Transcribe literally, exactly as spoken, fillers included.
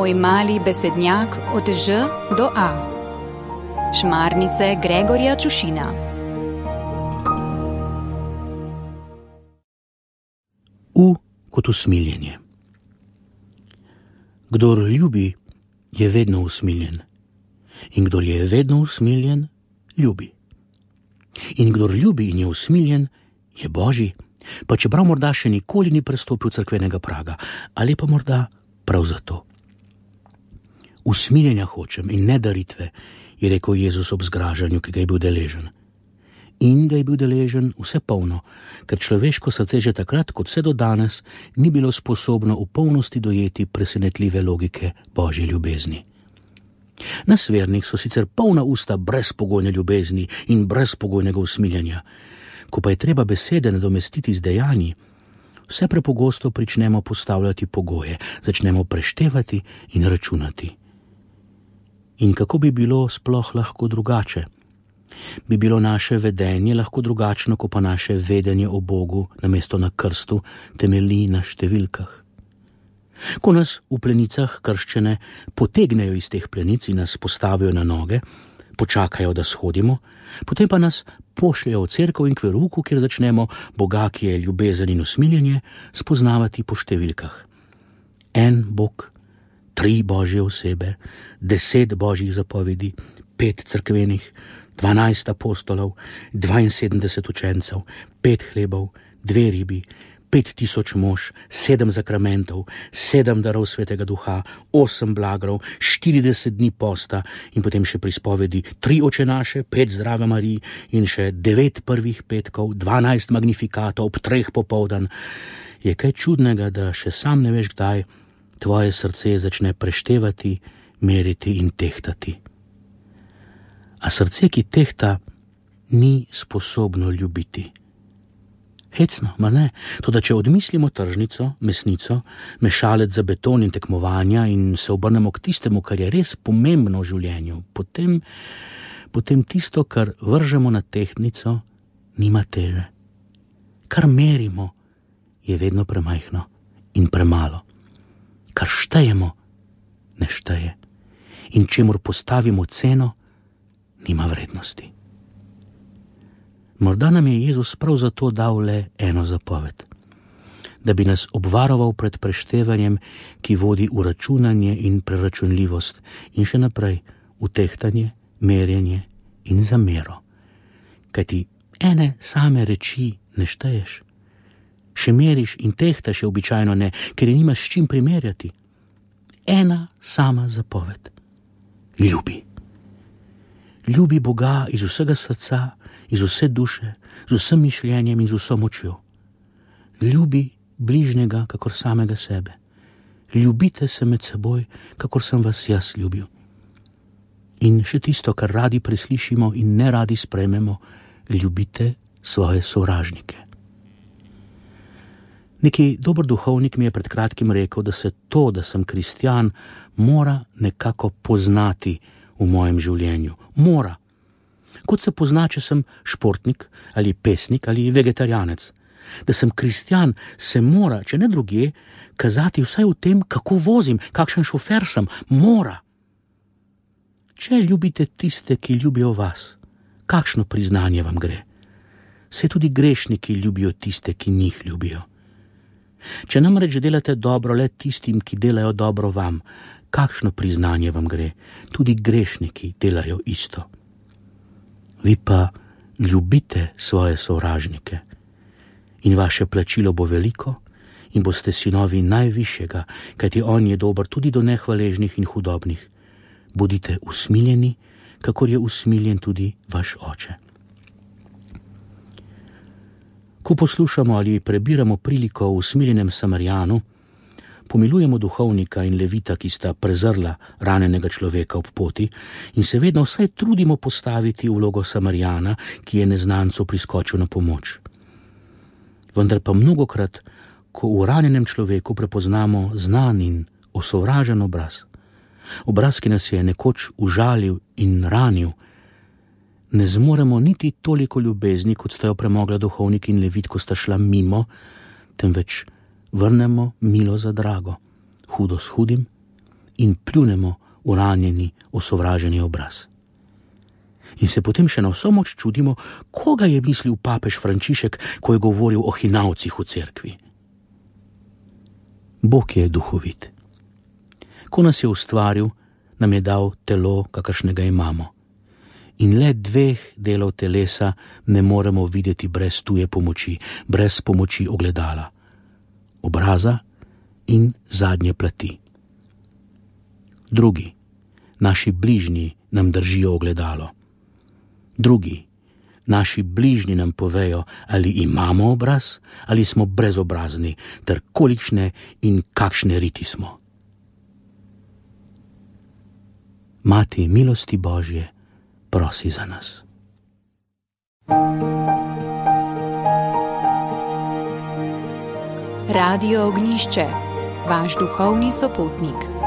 Tvoj mali besednjak od Ž do A. Šmarnice Gregorja Čušina. U kot usmiljenje. Kdor ljubi, je vedno usmiljen. In kdor je vedno usmiljen, ljubi. In kdor ljubi in je usmiljen, je Božji, pa čeprav morda še nikoli ni prestopil cerkvenega praga, ali pa morda prav zato. Usmiljenja hočem in ne daritve, je rekel Jezus ob zgražanju, ki ga je bil deležen. In ga je bil deležen vse polno, ker človeško srce že takrat, kot vse do danes, ni bilo sposobno v polnosti dojeti presenetljive logike Božje ljubezni. Nas vernih so sicer polna usta brezpogojne ljubezni in brezpogojnega usmiljenja. Ko pa je treba besede nadomestiti z dejanji, vse prepogosto pričnemo postavljati pogoje, začnemo preštevati in računati. In kako bi bilo sploh lahko drugače? Bi bilo naše vedenje lahko drugačno, ko pa naše vedenje o Bogu namesto na krstu temelji na številkah? Ko nas v plenicah krščene potegnejo iz teh plenic in nas postavijo na noge, počakajo, da shodimo, potem pa nas pošljajo v cerkev in k verouku, kjer začnemo Boga, ki je ljubezen in usmiljenje, spoznavati po številkah. En Bog, tri Božje osebe, deset Božjih zapovedi, pet cerkvenih, dvanajst apostolov, dvainsedemdeset učencev, pet hlebov, dve ribi, pet tisoč mož, sedem zakramentov, sedem darov svetega duha, osem blagrov, štirideset dni posta in potem še prispovedi, tri očenaše, pet zdrave Marij in še devet prvih petkov, dvanajst magnifikatov ob treh popoldan. Je kaj čudnega, da še sam ne veš kdaj tvoje srce začne preštevati, meriti in tehtati. A srce, ki tehta, ni sposobno ljubiti. Hecno, mar ne? Toda če odmislimo tržnico, mesnico, mešalec za beton in tekmovanja in se obrnemo k tistemu, kar je res pomembno v življenju, potem, potem tisto, kar vržemo na tehtnico, nima teže. Kar merimo, je vedno premajhno in premalo. Kar štejemo, ne šteje. In čemur postavimo ceno, nima vrednosti. Morda nam je Jezus prav zato dal le eno zapoved, da bi nas obvaroval pred preštevanjem, ki vodi v računanje in preračunljivost in še naprej v tehtanje, merjenje in zamero. Kajti ene same reči ne šteješ. Še meriš in tehtaš je običajno ne, ker je nimaš s čim primerjati. Ena sama zapoved. Ljubi. Ljubi Boga iz vsega srca, iz vse duše, z vsem mišljenjem in z vso močjo. Ljubi bližnjega, kakor samega sebe. Ljubite se med seboj, kakor sem vas jaz ljubil. In še tisto, kar radi preslišimo in ne radi sprejmemo, ljubite svoje sovražnike. Neki dober duhovnik mi je pred kratkim rekel, da se to, da sem kristjan, mora nekako poznati v mojem življenju. Mora. Kot se pozna, če sem športnik ali pesnik ali vegetarijanec. Da sem kristjan, se mora, če ne drugje, kazati vsaj v tem, kako vozim, kakšen šofer sem. Mora. Če ljubite tiste, ki ljubijo vas, kakšno priznanje vam gre? Saj tudi grešniki ljubijo tiste, ki njih ljubijo. Če namreč delate dobro le tistim, ki delajo dobro vam, kakšno priznanje vam gre? Tudi grešniki delajo isto. Vi pa ljubite svoje sovražnike in vaše plačilo bo veliko in boste sinovi najvišjega, kajti on je dober tudi do nehvaležnih in hudobnih. Bodite usmiljeni, kakor je usmiljen tudi vaš oče. Ko poslušamo ali prebiramo priliko o usmiljenem Samarijanu, pomilujemo duhovnika in levita, ki sta prezrla ranjenega človeka ob poti in se vedno vsaj trudimo postaviti vlogo Samarijana, ki je neznancu priskočil na pomoč. Vendar pa mnogokrat, ko v ranjenem človeku prepoznamo znan in osovražen obraz, obraz, ki nas je nekoč užalil in ranil, ne zmoremo niti toliko ljubezni, kot sta jo premogla duhovnik in levit, ko sta šla mimo, temveč vrnemo milo za drago, hudo s hudim in pljunemo v ranjeni, osovraženi obraz. In se potem še na vso moč čudimo, koga je mislil papež Frančišek, ko je govoril o hinavcih v cerkvi. Bog je duhovit. Ko nas je ustvaril, nam je dal telo, kakršnega imamo. In le dveh delov telesa ne moremo videti brez tuje pomoči, brez pomoči ogledala, obraza in zadnje plati. Drugi, naši bližnji, nam držijo ogledalo. Drugi, naši bližnji nam povejo, ali imamo obraz, ali smo brezobrazni, ter kolikšne in kakšne riti smo. Mati milosti Božje, prosi za nas. Radio Ognjišče, vaš duhovni sopotnik.